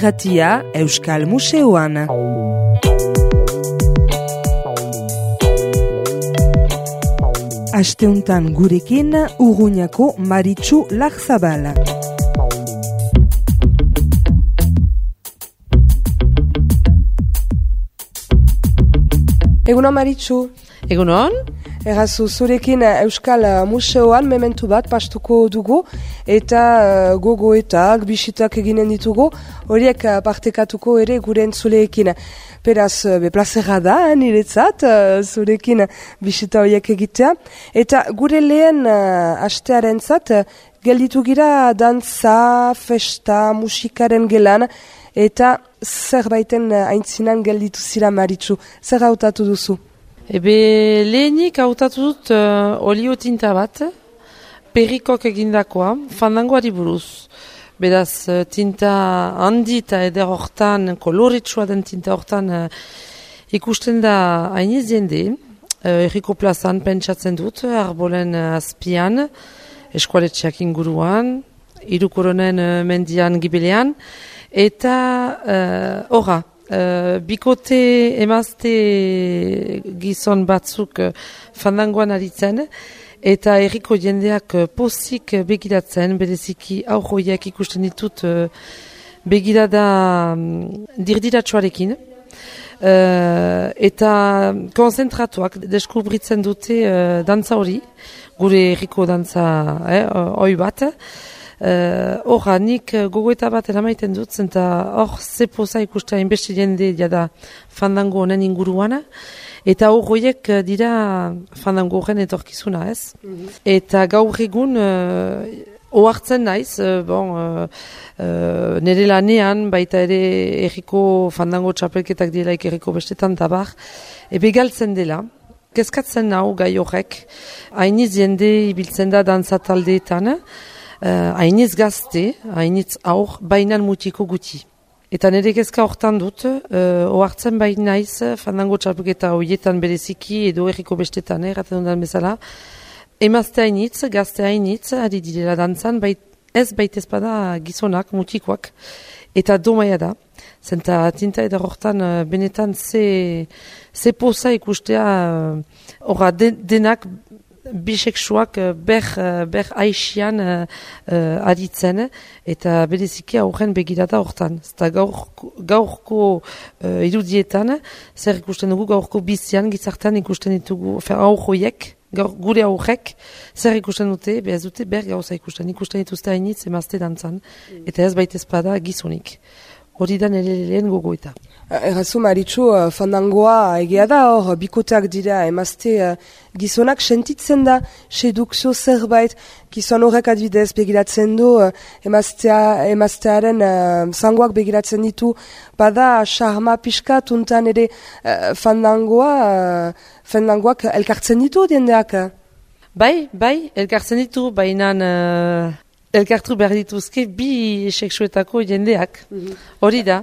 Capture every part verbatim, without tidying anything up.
irratia Euskal Museoan. Asteuntan gurekin Urruñako Maritxu Larzabal. Egunon Maritxu. Egunon. Errazu, zurekin Euskal Museoan mementu bat pastuko dugu eta uh, gogoetak, bisitak eginen ditugu, horiek uh, partekatuko ere gure entzuleekin. Beraz, be plazera da, niretzat, uh, zurekin bisita horiek egitea. Eta gure lehen uh, astearen zat, uh, gelditu gira dantza, festa, musikaren gelan, eta zerbaiten uh, aintzinan gelditu zira Maritxu. Zer hautatu duzu? Ebe lehenik hautatu dut uh, oliotinta bat, perrikok egindakoa, fandangoari buruz. Beraz, uh, tinta handi eta eder hortan, koloretsua den tinta hortan uh, ikusten da hainiz jende, uh, erriko plazan pentsatzen dut, arbolen uh, azpian, eskualetxeak inguruan, irukoronen uh, mendian gibelean, eta horra. Uh, Uh, bikote emazte gizon batzuk uh, fandangoan aritzen eta herriko jendeak uh, pozik begiratzen, bereziki aurroiak ikusten ditut uh, begirada um, dirdiratsuarekin uh, eta konzentratuak deskubritzen dute uh, dantza hori, gure herriko dantza eh, oi bat. Horra, uh, nik gogoeta bat eramaiten dut, zenta hor zepoza ikustea inbeste jende jada fandango honen inguruana, eta horroiek dira fandango horren etorkizuna, ez? Mm-hmm. Eta gaur egun uh, ohartzen naiz, uh, bon, uh, uh, nire lanean, baita ere erriko fandango txapelketak dielaik erriko bestetan tabar, ebe galtzen dela. Kezkatzen nau gai horrek, hainiz jende ibiltzen da dantza taldeetan, Uh, hainitz gazte, hainitz aur, bainan mutiko guti. Eta nire kezka hortan dut, uh, ohartzen bain naiz, fandango txapuketa horietan bereziki edo erriko bestetan, erraten dudan bezala, emazte hainitz, gazte hainitz, ari direla dantzan, bait, ez baitez bada gizonak, mutikoak, eta domaia da. Zenta tinta eda hortan uh, benetan ze, ze poza ikustea, horra uh, de, denak, bisexuak ber, ber aixian uh, uh, aditzen eta bereziki aurren begirata hortan. Zeta gaurko, gaurko uh, irudietan, zer ikusten dugu gaurko bizian, gizartan ikusten ditugu, aurroiek, gaur, gure aurrek, zer ikusten dute, behaz dute ber gauza ikusten, ikusten dituzte hainitz emazte dantzan, mm. eta ez baitez bada gizonik. Hori da nire lehen gogoeta. Errazu Maritxu, fandangoa egia da hor, bikoteak dira emazte gizonak sentitzen da, sedukzio zerbait, gizon horrek adbidez begiratzen du, emaztea, emaztearen uh, zangoak begiratzen ditu, bada charma pixka, tuntan ere uh, fandangoa, uh, fandangoak elkartzen ditu diendeak? Bai, bai, elkartzen ditu, bainan... Uh... Elkartu behar dituzke bi seksuetako jendeak. Hori da.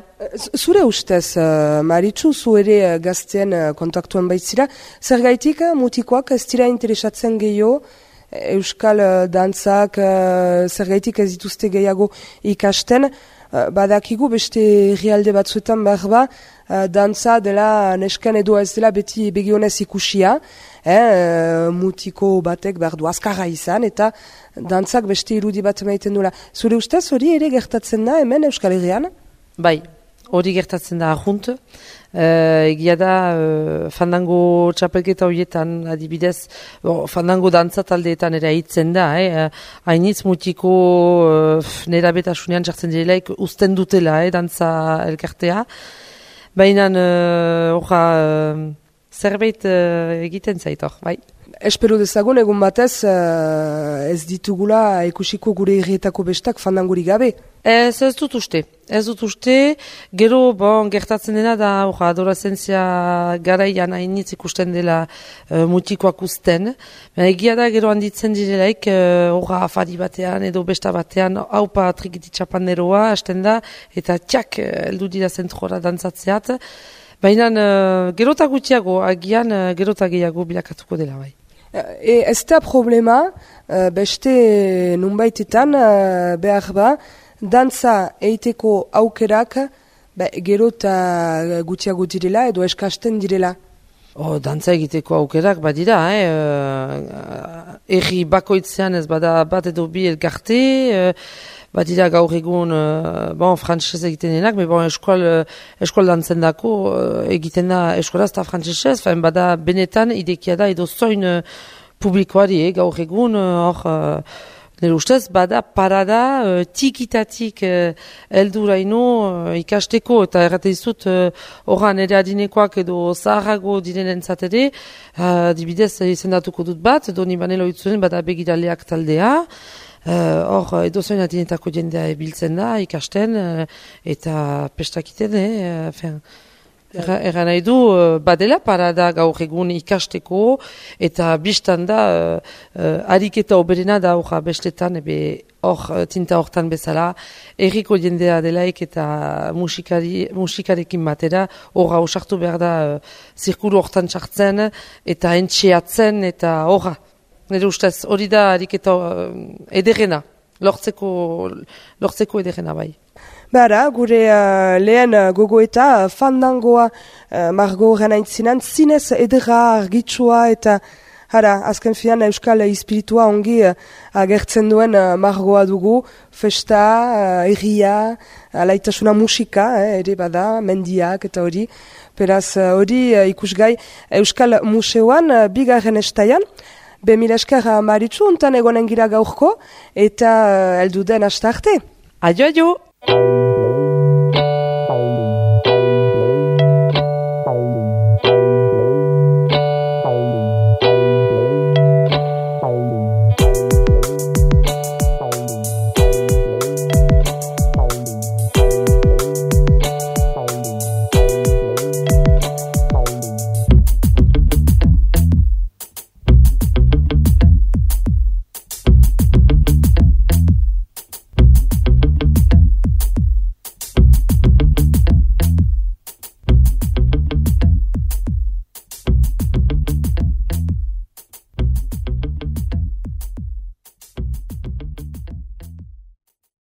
Zure ustez, uh, Maritxu, zu ere uh, gazten uh, kontaktuan baitzira, zer gaitik uh, mutikoak ez dira interesatzen gehiago, euskal uh, dantzak, uh, zer gaitik ez dituzte gehiago ikasten, uh, badakigu beste herrialde batzuetan behar ba, uh, dantza dela nesken edo ez dela beti begionez ikusia, eh, mutiko batek behar du azkarra izan, eta dantzak beste irudi bat emaiten dula. Zure ustez hori ere gertatzen da hemen Euskal Herrian? Bai, hori gertatzen da ahunt. Uh, egia da, uh, fandango txapelketa horietan adibidez, bon, fandango dantza taldeetan ere hitzen da, eh? Hainitz mutiko uh, nera betasunean jartzen direlaik usten dutela, eh, dantza elkartea. Baina, horra, uh, uh, zerbait uh, egiten zaitor, bai. Espero dezagun egun batez uh, ez ditugula ikusiko gure herrietako bestak fandanguri gabe. Ez, ez dut uste. Ez dut uste, gero bon, gertatzen dena da orra, adolescentzia garaian hainitz ikusten dela uh, mutikoak usten. Egia da gero handitzen direlaik horra uh, afari batean edo besta batean haupa trikititxapaneroa hasten da eta txak heldu dira zentrora dantzatzeat. Baina uh, gerota gutxiago, agian uh, gerota gehiago bilakatuko dela bai. E, ez da problema, uh, beste nunbaitetan uh, behar ba, dantza eiteko aukerak ba, gero eta gutxiago direla edo eskasten direla. Oh, dantza egiteko aukerak badira, eh? Uh, erri bakoitzean ez bada bat edo bi elkarte, uh, badira gaur egun, uh, bon, frantzesez egiten denak, me bon, eskual, eskual dantzen dako uh, egiten da eskualaz eta frantzesez, fain bada benetan idekia da edo zoin uh, publikoari, eh? Gaur egun, hor, uh, uh, nire ustez, bada parada uh, tikitatik uh, elduraino uh, ikasteko, eta errate dizut horran uh, ere adinekoak edo zaharrago direnen zatede, uh, dibidez izendatuko dut bat, doni banelo itzuen bada begiraleak taldea, hor uh, edo zoin adinetako jendea ebiltzen da, ikasten, uh, eta pestakiten, eh, fin, Erra nahi du, badela parada gaur egun ikasteko, eta biztan da, uh, uh, ariketa oberena da horra bestetan, ebe hor tinta hortan bezala, erriko jendea delaik eta musikari, musikarekin batera, horra osartu behar da, uh, zirkulu hortan txartzen, eta entxeatzen, eta horra. Nire ustez, hori da ariketa uh, ederrena, lortzeko, lortzeko ederrena bai. Bara, gure uh, lehen uh, gogoeta uh, fandangoa uh, margo horren aintzinan, zinez edera argitsua eta hara, azken finan euskal espiritua ongi uh, agertzen duen uh, margoa dugu, festa, uh, erria, alaitasuna musika, eh, ere bada, mendiak eta hori. Beraz, hori uh, ikusgai Euskal Museoan uh, bigarren estaian, be mila esker uh, Maritxu, untan egonen gira gaurko, eta uh, elduden hasta arte. Adio, adio!